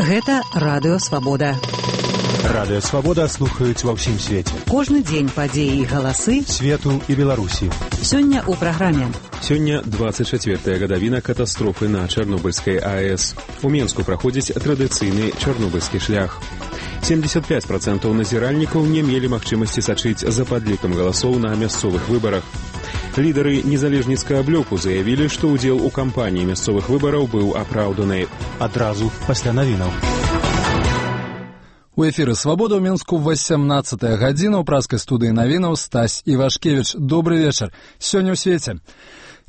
Гэта Радыё Свабода. Радыё Свабода слухаюць ва ўсім свеце. Кожны дзень падзеі і галасы свету і Беларусі. Сёння ў праграме. Сёння 24-я гадавіна катастрофы на Чарнобыльскай АЭС. У Менску праходзіць традыцыйны чарнобыльскі шлях. 75% назіральнікаў не мелі магчымасці сачыць за падлікам галасоў на мясцовых выбарах. Лідары незалежніцкага блоку заявілі, што ўдзел у кампаніі мясцовых выбараў быў апраўданы. Адразу пасля навінаў. У эфіры «Свабода» ў Менску 18-я гадзіна. У праскай студыі навінаў Стась Івашкевіч. Добры вечар. Сёння ў свеце.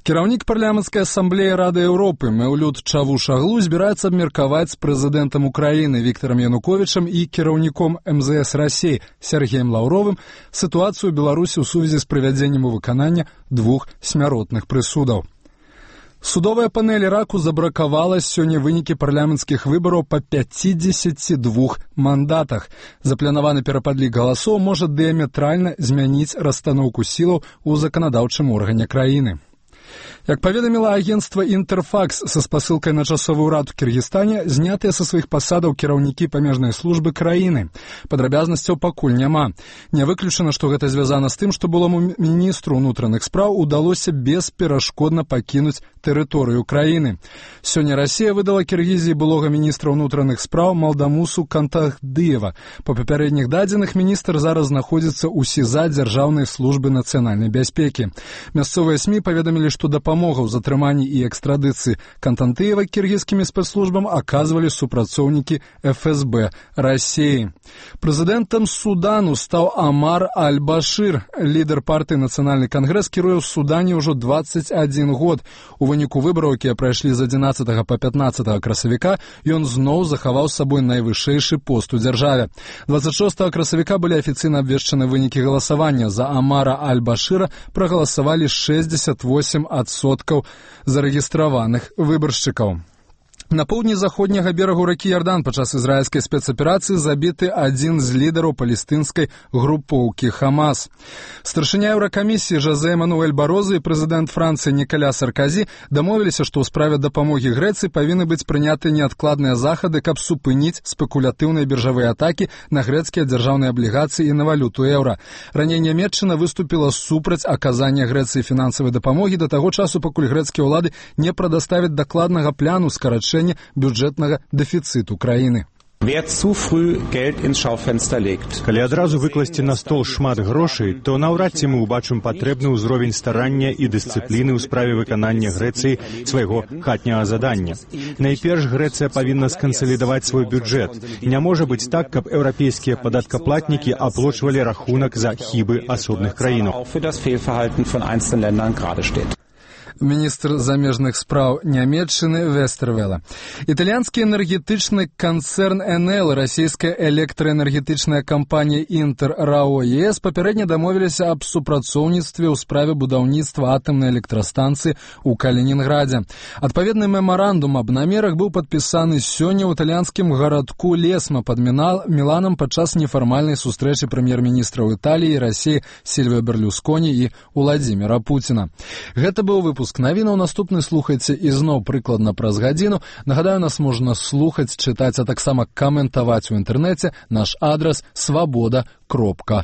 Кіраўнік парламенцкай асамблеі Рады Еўропы Мэўлют Чавушаглу збіраецца абмеркаваць з прэзідэнтам Украіны Віктарам Януковічам і кіраўніком МЗС Расіі Сергеем Лаўровым сітуацыю ў Беларусі ў сувязі з прывядзеннем у выканання 2 смяротных прысудаў. Судовая панель Іраку забракавала сёння вынікі парламенцкіх выбараў па 52 мандатах. Запланаваны перападлік галасоў можа дыяметральна змяніць расстаноўку сілаў у заканадаўчым органе краіны. Як паведаміла агенцтва «Інтэрфакс» са спасылкай на часовы ўрад у Кіргізстане, знятыя са сваіх пасадаў кіраўнікі памежнай службы краіны. Падрабязнасцяў пакуль няма. Не выключана, што гэта звязана з тым, што былому міністру ўнутраных спраў удалося бесперашкодна пакінуць тэрыторыю краіны. Сёння Расія выдала Кіргізіі былога міністра ўнутраных спраў Малдамусу Кантахдыева. Па папярэдніх дадзеных міністр зараз знаходзіцца ў СІЗА Дзяржаўнай службы нацыянальнай бяспекі. Мясцовыя СМІ паведамілі, што дапамогу ў затрыманні і экстрадыцыі Кантантыева кіргізскімі спецслужбам аказвалі супрацоўнікі ФСБ Расіі. Прэзідэнтам Судану стаў Амар Аль-Башыр. Лідар партыі «Нацыянальны кангрэс» кіруе ў Судане ўжо 21 год. У выніку выбараў, якія прайшлі з 11 па 15 красавіка, ён зноў захаваў сабой найвышэйшы пост у дзяржаве. 26 красавіка былі афіцыйна абвешчаны вынікі галасавання. За Амара Аль-Башыра прагаласавалі 68% зарэгістраваных выбаршчыкаў. На поўдні заходняга берагу ракі Ярдан падчас ізраільскай спецаперацыі забіты адзін з лідараў палестынскай групоўкі Хамас. Старшыня Еўракамісіі Жозе Мануэль Бароза і прэзідэнт Францыі Нікаля Сарказі дамовіліся, што ў справе дапамогі Грэцыі павінны быць прыняты неадкладныя захады, каб супыніць спекулятыўныя біржавыя атакі на грэцкія дзяржаўныя аблігацыі і на валюту еўра. Раней Нямецчына выступіла супраць аказання Грэцыі фінансавай дапамогі да таго часу, пакуль грэцкія ўлады не прадаставяць дакладнага пляну скарачэння бюджэтнага дэфіцыту краіны. Калі адразу выкласці на стол шмат грошай, то наўрад ці мы ўбачым патрэбны ўзровень старання і дысцыпліны ў справе выканання Грэцыі свайго хатняга задання. Найперш Грэцыя павінна скансалідаваць свой бюджэт. Не можа быць так, каб еўрапейскія падаткаплатнікі аплочвалі рахунак за хібы асобных краінаў. Міністр замежных спраў Нямецчыны Вестервела. Італьянскі энергетычны канцэрн НЛ, расійская электраэнергетычная кампанія Інтер РАО ЕС папярэдне дамовіліся аб супрацоўніцтве ў справе будаўніцтва атамнай электрастанцыі ў Калінінградзе. Адпаведны мемарандум аб намерах быў падпісаны сёння ў італьянскім гарадку Лесма пад Міланам падчас нефармальнай сустрэчы прэм'ер-міністраў Італіі і Расіі Сільвіо Берлюсконі і Уладзіміра Пуціна. Гэта быў выпуск навінаў. Наступны слухайце ізноў прыкладна праз гадзіну. Нагадаю, нас можна слухаць, чытаць, а таксама каментаваць у інтэрнэце. Наш адрас свабода.орг.